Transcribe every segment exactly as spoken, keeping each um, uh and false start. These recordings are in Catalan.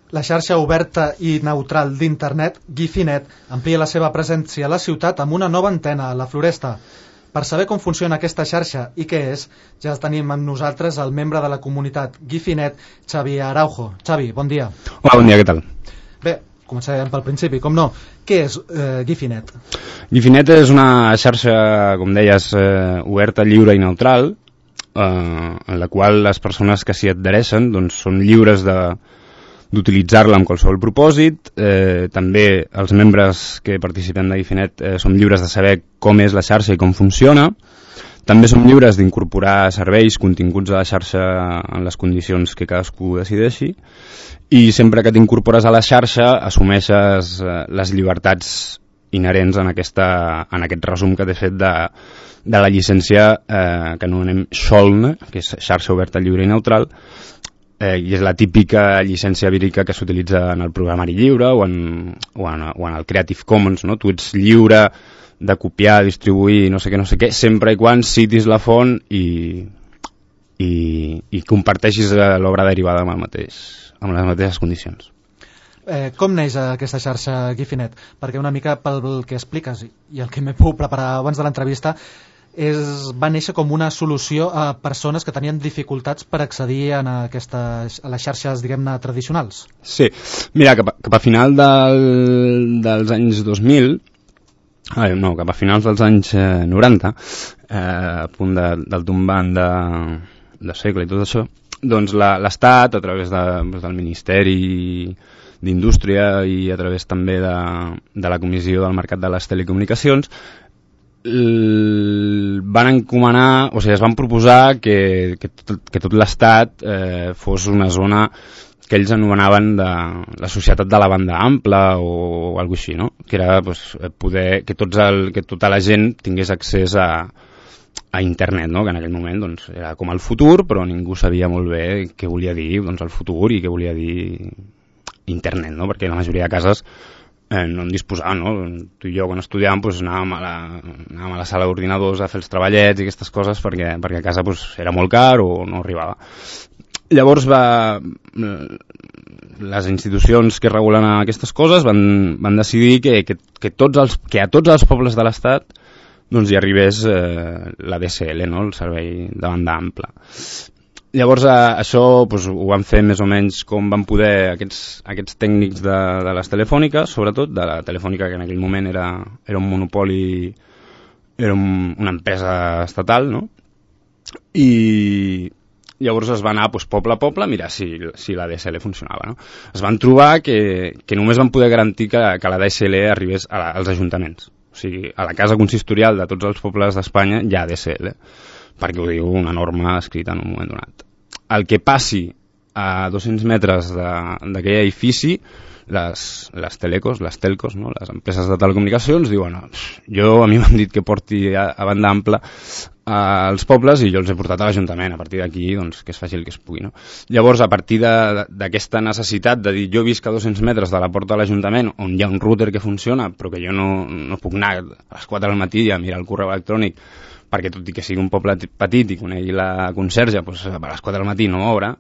La xarxa oberta i neutral d'internet, Guifinet, amplia la seva presència a la ciutat amb una nova antena a la Floresta. Per saber com funciona aquesta xarxa i què és, ja tenim amb nosaltres el membre de la comunitat Guifinet, Xavi Araujo. Xavi, bon dia. Hola, bon dia, què tal? Bé, començarem pel principi, com no. Què és eh, Guifinet? Guifinet és una xarxa, com deies, eh, oberta, lliure i neutral, eh, en la qual les persones que s'hi adhereixen doncs, són lliures de d'utilitzar-la amb qualsevol propòsit. Eh, també els membres que participem de Guifinet eh, som lliures de saber com és la xarxa i com funciona. També som lliures d'incorporar serveis, continguts a la xarxa en les condicions que cadascú decideixi, i sempre que t'incorpores a la xarxa assumeixes eh, les llibertats inherents en, aquesta, en aquest resum que t'he fet de, de la llicència eh, que anomenem Scholn, que és xarxa oberta, lliure i neutral, Eh, i és la típica llicència vírica que s'utilitza en el programari lliure o en, o en, o en el Creative Commons, no? Tu ets lliure de copiar, distribuir, no sé què, no sé què, sempre i quan citis la font i, i, i comparteixis l'obra derivada amb, el mateix, amb les mateixes condicions. Eh, com neix aquesta xarxa Guifinet? Perquè una mica pel que expliques i el que m'he pogut preparar abans de l'entrevista, és, va néixer com una solució a persones que tenien dificultats per accedir a, aquestes, a les xarxes, diguem-ne, tradicionals. Sí, mira, cap a, cap a final del, dels anys dos mil, eh, no, cap a finals dels anys eh, noranta, eh, a punt de, del tombant de, de segle i tot això, doncs l'Estat, a través de, del Ministeri d'Indústria i a través també de, de la Comissió del Mercat de les Telecomunicacions, van encomanar, o sigui, es van proposar que, que, tot, que tot l'Estat eh, fos una zona que ells anomenaven de la societat de la banda ampla o alguna així, no? Que era pues, poder que, tots el, que tota la gent tingués accés a, a internet, no? Que en aquell moment doncs, era com el futur, però ningú sabia molt bé què volia dir doncs, el futur i què volia dir internet, no? Perquè la majoria de cases Eh, no en disposàvem, no? Tu i jo quan estudiàvem pues, anàvem, a la, anàvem a la sala d'ordinadors a fer els treballets i aquestes coses perquè, perquè a casa pues, era molt car o no arribava. Llavors va, les institucions que regulen aquestes coses van, van decidir que, que, que, tots els, que a tots els pobles de l'Estat doncs, hi arribés eh, la D S L, no? El servei de banda ampla. Llavors eh, això pues, ho van fer més o menys com van poder aquests, aquests tècnics de, de les telefòniques, sobretot de la telefònica que en aquell moment era, era un monopoli, era un, una empresa estatal, no? I llavors es va anar pues, poble a poble a mirar si, si la D S L funcionava, no? Es van trobar que, que només van poder garantir que, que la D S L arribés a la, als ajuntaments. O sigui, a la casa consistorial de tots els pobles d'Espanya hi ha D S L, perquè ho diu una norma escrita en un moment donat. El que passi a dos-cents metres d'aquell edifici, les, les telecos, les telcos, no? Les empreses de telecomunicacions, diuen jo, a mi m'han dit que porti a, a banda ampla als pobles i jo els he portat a l'Ajuntament. A partir d'aquí, doncs, que es faci el que es pugui, no? Llavors, a partir d'aquesta necessitat de dir jo visc a dos-cents metres de la porta de l'Ajuntament on hi ha un router que funciona però que jo no, no puc anar a les quatre del matí a mirar el correu electrònic perquè tot i que sigui un poble petit i conegui la conserge, doncs a les quatre del matí no obre,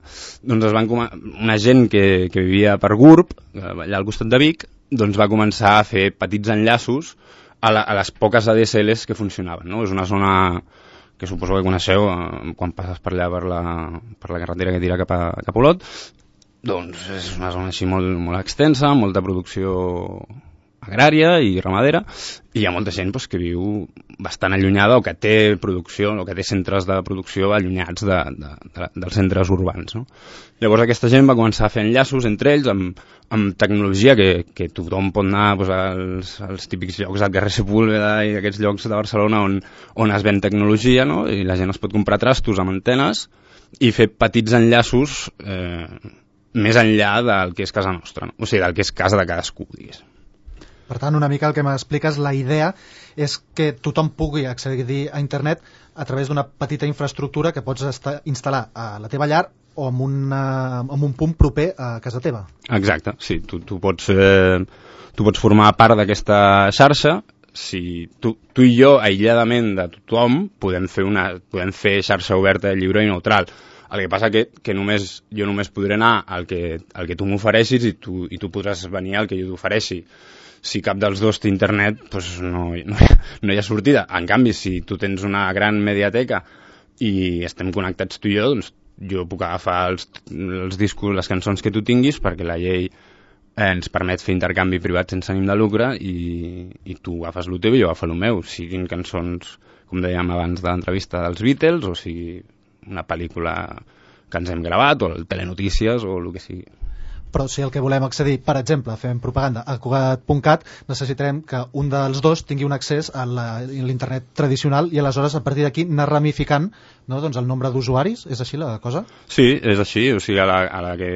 doncs es van una gent que, que vivia per Gurb, allà al costat de Vic, doncs va començar a fer petits enllaços a, la, a les poques A D S Ls que funcionaven, no? És una zona que suposo que coneixeu eh, quan passes per allà per la, per la carretera que tira cap a, cap a Olot, doncs és una zona així molt, molt extensa, molta producció agrària i ramadera, i hi ha molta gent pues, que viu bastant allunyada o que té producció o que té centres de producció allunyats de, de, de, dels centres urbans, no? Llavors aquesta gent va començar a fer enllaços entre ells amb, amb tecnologia que, que tothom pot anar pues, als, als típics llocs del carrer Sepúlveda i aquests llocs de Barcelona on, on es ven tecnologia, no? I la gent es pot comprar trastos amb antenes i fer petits enllaços eh, més enllà del que és casa nostra, no? O sigui, del que és casa de cadascú, diguéssim. Per tant, una mica el que m'expliques, la idea és que tothom pugui accedir a internet a través d'una petita infraestructura que pots instal·lar a la teva llar o en, una, en un punt proper a casa teva. Exacte, sí, tu, tu, pots, eh, tu pots formar part d'aquesta xarxa. Si tu, tu i jo, aïlladament de tothom, podem fer, una, podem fer xarxa oberta, lliure i neutral. El que passa que, que només, jo només podré anar al que, al que tu m'ofereixis i tu, i tu podràs venir al que jo t'ofereixi. Si cap dels dos té internet, doncs no, no, hi ha, no hi ha sortida. En canvi, si tu tens una gran mediateca i estem connectats tu i jo, doncs jo puc agafar els, els discos, les cançons que tu tinguis, perquè la llei ens permet fer intercanvi privat sense ànim de lucre i, i tu agafes el teu i jo agafo el meu, siguin cançons, com dèiem abans de l'entrevista, dels Beatles, o sigui una pel·lícula que ens hem gravat, o el telenotícies, o el que sigui. Però si el que volem accedir, per exemple, fem propaganda a Cugat punt cat, necessitarem que un dels dos tingui un accés a l'internet tradicional i aleshores a partir d'aquí anar ramificant, no, doncs el nombre d'usuaris. És així la cosa? Sí, és així. O sigui, a la, a la que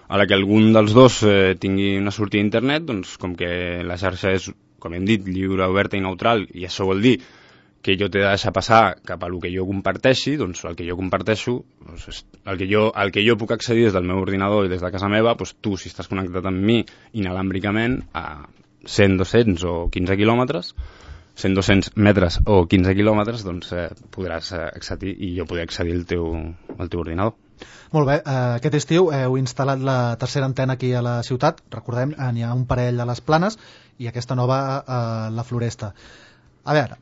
a la que algun dels dos eh, tingui una sortida a internet, doncs com que la xarxa és, com hem dit, lliure, oberta i neutral, i això vol dir que jo t'he de deixar passar cap a el que jo comparteixi, doncs el que jo comparteixo, doncs el, que jo, el que jo puc accedir des del meu ordinador i des de casa meva, doncs tu, si estàs connectat amb mi inalàmbricament a cent, dos-cents o quinze quilòmetres, cent, dos-cents metres o quinze quilòmetres, doncs eh, podràs accedir i jo podré accedir al teu, al teu ordinador. Molt bé, eh, aquest estiu heu instal·lat la tercera antena aquí a la ciutat, recordem, n'hi ha un parell a les Planes i aquesta nova a la Floresta. A veure,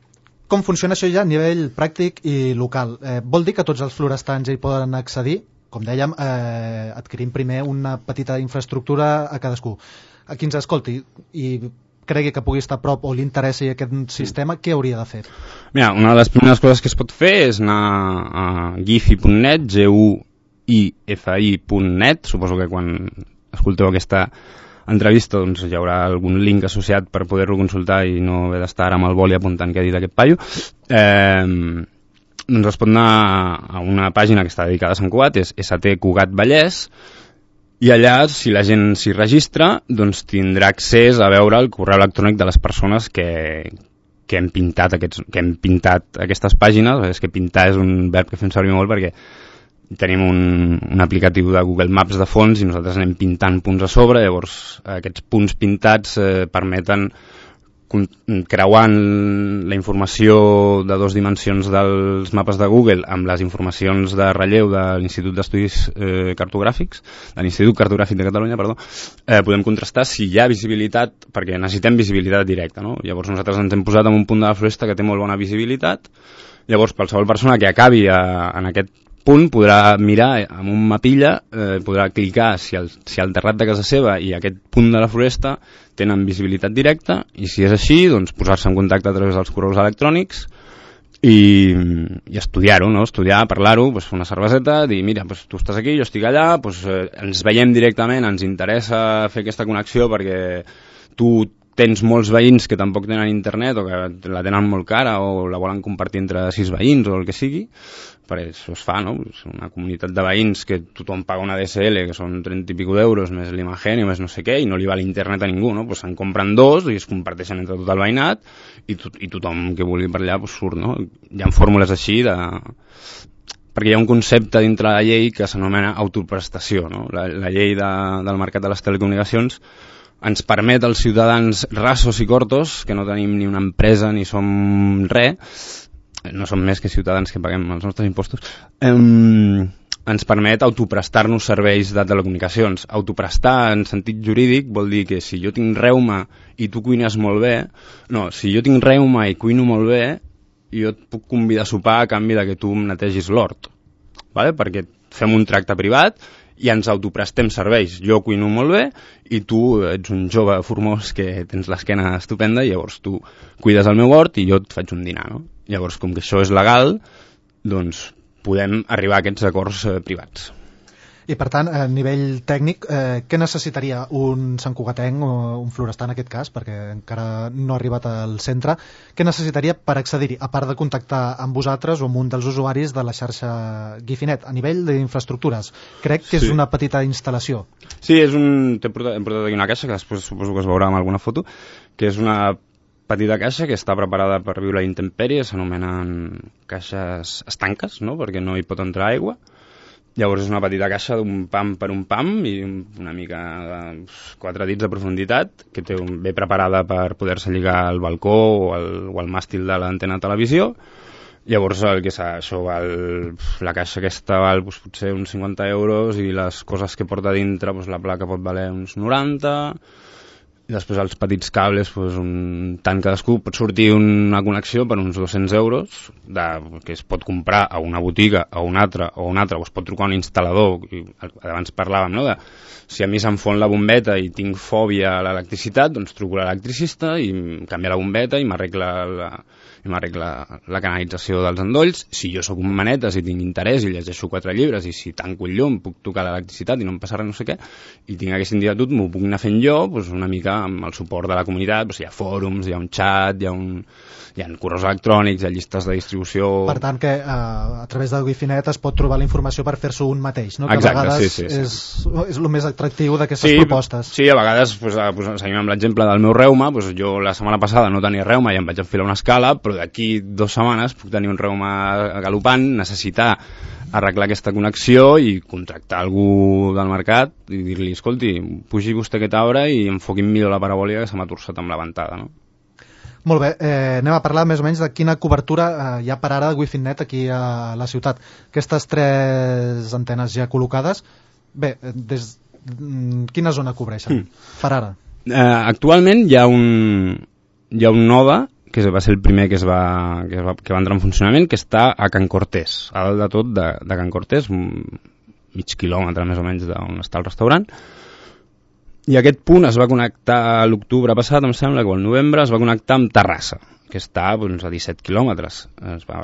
com funciona això ja a nivell pràctic i local? Eh, vol dir que tots els florestans hi poden accedir? Com dèiem, eh, adquirim primer una petita infraestructura a cadascú. A qui ens escolti i cregui que pugui estar a prop o li interessi aquest sistema, què hauria de fer? Mira, una de les primeres coses que es pot fer és anar a gifi punt net, G U I F I punt net, suposo que quan escolteu aquesta entrevista doncs hi haurà algun link associat per poder-lo consultar i no haver d'estar ara amb el boli apuntant què ha dit aquest paio. Eh, doncs es pot anar a una pàgina que està dedicada a Sant Cugat, és S T Cugat Vallès, i allà, si la gent s'hi registra, doncs tindrà accés a veure el correu electrònic de les persones que, que, hem, pintat aquests, que hem pintat aquestes pàgines. És que pintar és un verb que fem servir molt perquè tenim un, un aplicatiu de Google Maps de fons i nosaltres anem pintant punts a sobre, llavors aquests punts pintats eh, permeten, creuant la informació de dues dimensions dels mapes de Google amb les informacions de relleu de l'Institut d'Estudis eh, Cartogràfics, de l'Institut Cartogràfic de Catalunya, perdó, eh, podem contrastar si hi ha visibilitat, perquè necessitem visibilitat directa, no? Llavors nosaltres ens hem posat en un punt de la Floresta que té molt bona visibilitat, llavors qualsevol persona que acabi a, en aquest punt podrà mirar amb un mapilla, eh, podrà clicar si el, si el terrat de casa seva i aquest punt de la Floresta tenen visibilitat directa, i si és així, doncs posar-se en contacte a través dels correus electrònics i, i estudiar-ho, no? Estudiar, parlar-ho, doncs fer una cerveseta, dir, mira, doncs tu estàs aquí, jo estic allà, doncs eh, ens veiem directament, ens interessa fer aquesta connexió perquè tu tens molts veïns que tampoc tenen internet o que la tenen molt cara o la volen compartir entre sis veïns o el que sigui, perquè això es fa, no? És una comunitat de veïns que tothom paga una D S L, que són trenta i pico d'euros, més l'Imagen i més no sé què, i no li va l'internet a ningú, no? Pues se'n compren dos i es comparteixen entre tot el veïnat i, to i tothom que vulgui per allà pues, surt, no? Hi ha fórmules així de... perquè hi ha un concepte dintre la llei que s'anomena autoprestació, no? La, la llei de, del mercat de les telecomunicacions ens permet als ciutadans rasos i cortos, que no tenim ni una empresa ni som res, no som més que ciutadans que paguem els nostres impostos, eh, ens permet autoprestar-nos serveis de telecomunicacions. Autoprestar en sentit jurídic vol dir que si jo tinc reuma i tu cuines molt bé, no, si jo tinc reuma i cuino molt bé, jo et puc convidar a sopar a canvi de que tu em netegis l'hort, ¿vale? Perquè fem un tracte privat i ens autoprestem serveis. Jo cuino molt bé i tu ets un jove formós que tens l'esquena estupenda i llavors tu cuides el meu hort i jo et faig un dinar, no? Llavors, com que això és legal, doncs podem arribar a aquests acords eh, privats. I per tant, a nivell tècnic, eh, què necessitaria un santcugatenc o un florestar en aquest cas, perquè encara no ha arribat al centre, què necessitaria per accedir-hi, a part de contactar amb vosaltres o amb un dels usuaris de la xarxa Gifinet, a nivell d'infraestructures? Crec que és sí. Una petita instal·lació. Sí, és un... hem portat, hem portat aquí una caixa, que després suposo que es veurà amb alguna foto, que és una petita caixa que està preparada per viure a intempèrie, s'anomenen caixes estanques, no? Perquè no hi pot entrar aigua. Llavors és una petita caixa d'un pam per un pam i una mica de quatre dits de profunditat, que té un, bé preparada per poder-se lligar al balcó o al, o al màstil de l'antena de televisió, Llavors el que s'ha, això val, la caixa aquesta val doncs, potser uns cinquanta euros i les coses que porta dintre, doncs, la placa pot valer uns noranta, i després els petits cables, doncs, un tant cadascú, pot sortir una connexió per uns dos-cents euros de, que es pot comprar a una botiga, a una altra, o a una altra, o es pot trucar a un instal·lador, i abans parlàvem, no?, de si a mi se'm fon la bombeta i tinc fòbia a l'electricitat, doncs truco a l'electricista i em canvia la bombeta i m'arregla la, i m'arregla la canalització dels endolls. Si jo sóc un manetes i tinc interès i llegeixo quatre llibres i si tanco el llum puc tocar l'electricitat i no em passa res no sé què, i tinc aquesta inquietud, m'ho puc anar fent jo, doncs una mica amb el suport de la comunitat, doncs hi ha fòrums, hi ha un xat, hi ha un... hi ha correus electrònics, hi ha llistes de distribució... Per tant, que eh, a través del Wifinet es pot trobar la informació per fer-s'ho un mateix, no? Que Exacte, a vegades sí, sí, sí. És, és el més atractiu d'aquestes sí, propostes. Sí, a vegades, pues, pues, seguim amb l'exemple del meu reuma, pues, jo la setmana passada no tenia reuma i em vaig enfilar una escala, però d'aquí dues setmanes puc tenir un reuma galopant, necessitar arreglar aquesta connexió i contractar algú del mercat i dir-li, escolti, pugi vostè aquest arbre i enfoqui'm millor la parabòlica que se m'ha torçat amb la ventada, no? Molt bé, eh, anem a parlar més o menys de quina cobertura eh, hi ha per ara de Wifinet aquí a la ciutat. Aquestes tres antenes ja col·locades, bé, des, quina zona cobreixen mm. per ara? Eh, actualment hi ha un, hi ha un node, que va ser el primer que, es va, que, es va, que va entrar en funcionament, que està a Can Cortés, a dalt de tot de, de Can Cortés, mig quilòmetre més o menys d'on està el restaurant. I aquest punt es va connectar l'octubre passat, em sembla, que al novembre es va connectar amb Terrassa, que està doncs, a disset quilòmetres. Es va,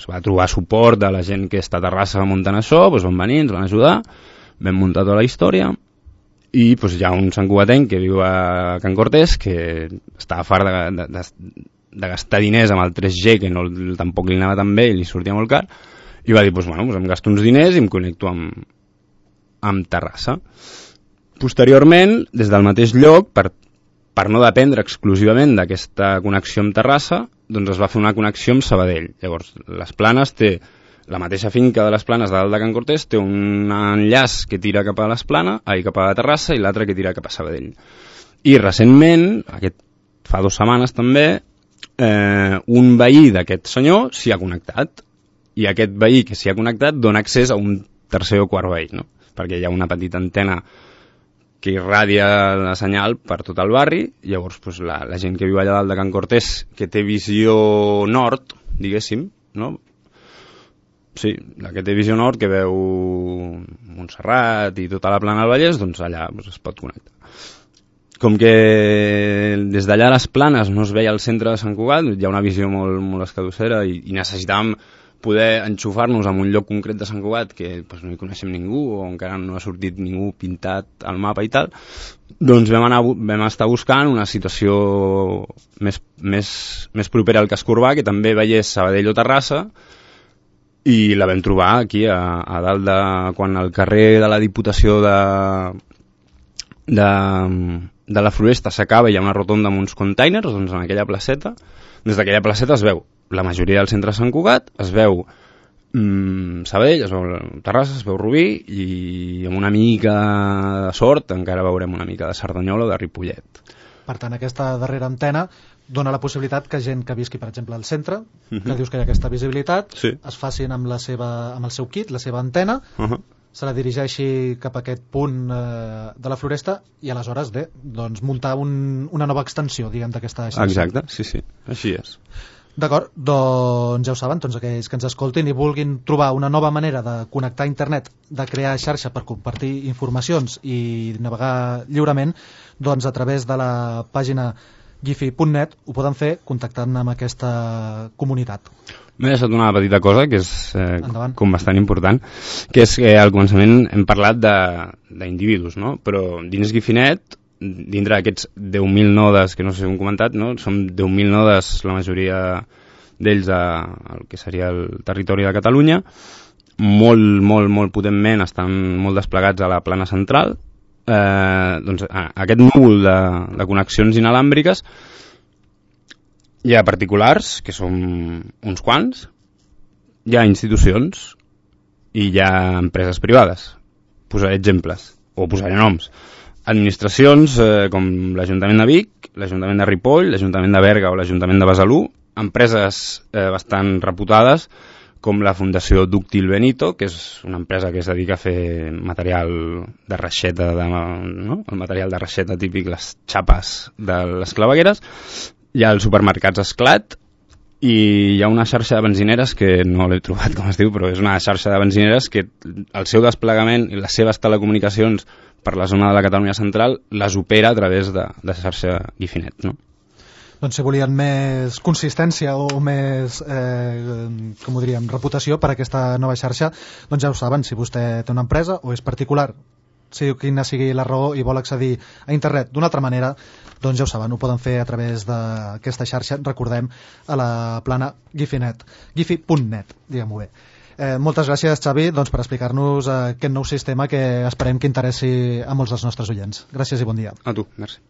es va trobar suport de la gent que està a Terrassa muntant això, doncs van venir, ens van ajudar, vam muntar tota la història, i doncs, hi ha un santcugatenc que viu a Can Cortés que estava fart de, de, de, de gastar diners amb el tres G, que no, tampoc li anava tan bé i li sortia molt car, i va dir, doncs, bueno, doncs em gasto uns diners i em connecto amb, amb Terrassa. Posteriorment, des del mateix lloc, per, per no dependre exclusivament d'aquesta connexió amb Terrassa, doncs es va fer una connexió amb Sabadell. Llavors, les Planes té, la mateixa finca de les Planes de dalt de Can Cortés, té un enllaç que tira cap a les Planes, ai, cap a Terrassa, i l'altre que tira cap a Sabadell. I recentment, aquest, fa dues setmanes també, eh, un veí d'aquest senyor s'hi ha connectat, i aquest veí que s'hi ha connectat dona accés a un tercer o quart veí, no? Perquè hi ha una petita antena que irradia la senyal per tot el barri, llavors doncs, la, la gent que viu allà dalt de Can Cortés, que té visió nord, diguéssim, no? Sí, la que té visió nord, que veu Montserrat i tota la plana del Vallès, doncs allà doncs, es pot connectar. Com que des d'allà a les Planes no es veia el centre de Sant Cugat, hi ha una visió molt, molt escadussera i, i necessitàvem poder enxufar-nos en un lloc concret de Sant Cugat que doncs, no hi coneixem ningú o encara no ha sortit ningú pintat al mapa i tal, doncs vam, anar, vam estar buscant una situació més, més, més propera al casc urbà, que també veiés Sabadell o Terrassa, i la vam trobar aquí a, a dalt de... quan al carrer de la Diputació de, de, de la Floresta s'acaba i hi ha una rotonda amb uns containers, doncs en aquella placeta, des d'aquella placeta es veu la majoria del centre de Sant Cugat, es veu mmm, Sabadell, es veu Terrassa, es veu Rubí, i amb una mica de sort encara veurem una mica de Cerdanyola o de Ripollet. Per tant, aquesta darrera antena dona la possibilitat que gent que visqui, per exemple, al centre, uh-huh. que dius que hi ha aquesta visibilitat, sí. es facin amb, la seva, amb el seu kit, la seva antena, uh-huh. se la dirigeixi cap a aquest punt eh, de la Floresta i aleshores bé, doncs, muntar un, una nova extensió, diguem, d'aquesta xarxa. Exacte, sí, sí, així és. D'acord, doncs ja ho saben, tots aquells que ens escoltin i vulguin trobar una nova manera de connectar a internet, de crear xarxa per compartir informacions i navegar lliurement, doncs a través de la pàgina gifi punt net ho poden fer contactant amb aquesta comunitat. M'he deixat una petita cosa que és eh, com bastant important, que és que al començament hem parlat d'individus, no? Però dins Gifinet, dintre d'aquests deu mil nodes que no sé si ho hem comentat, no? Són deu mil nodes, la majoria d'ells al que seria el territori de Catalunya, molt, molt, molt potentment estan molt desplegats a la plana central. Eh, doncs, aquest núvol de, de connexions inalàmbriques hi ha particulars, que són uns quants, hi ha institucions i hi ha empreses privades. Posaré exemples, o posaré noms. Administracions eh, com l'Ajuntament de Vic, l'Ajuntament de Ripoll, l'Ajuntament de Berga o l'Ajuntament de Besalú empreses eh, bastant reputades, com la Fundació Dúctil Benito, que és una empresa que es dedica a fer material de reixeta, de, no? el material de reixeta típic, les xapes de les clavegueres. Hi ha els supermercats Esclat i hi ha una xarxa de benzineres que no l'he trobat com es diu, però és una xarxa de benzineres que el seu desplegament i les seves telecomunicacions per la zona de la Catalunya central les opera a través de, de xarxa Gifinet, no? Doncs si volien més consistència o més, eh, com ho diríem, reputació per a aquesta nova xarxa, doncs ja ho saben, si vostè té una empresa o és particular, sigui quina sigui la raó i vol accedir a internet d'una altra manera, doncs ja ho saben, ho poden fer a través d'aquesta xarxa, recordem, a la plana Gifinet, gifi punt net, diguem-ho bé. Eh, moltes gràcies, Xavi, doncs, per explicar-nos eh, aquest nou sistema que esperem que interessi a molts dels nostres oients. Gràcies i bon dia. A tu, merci.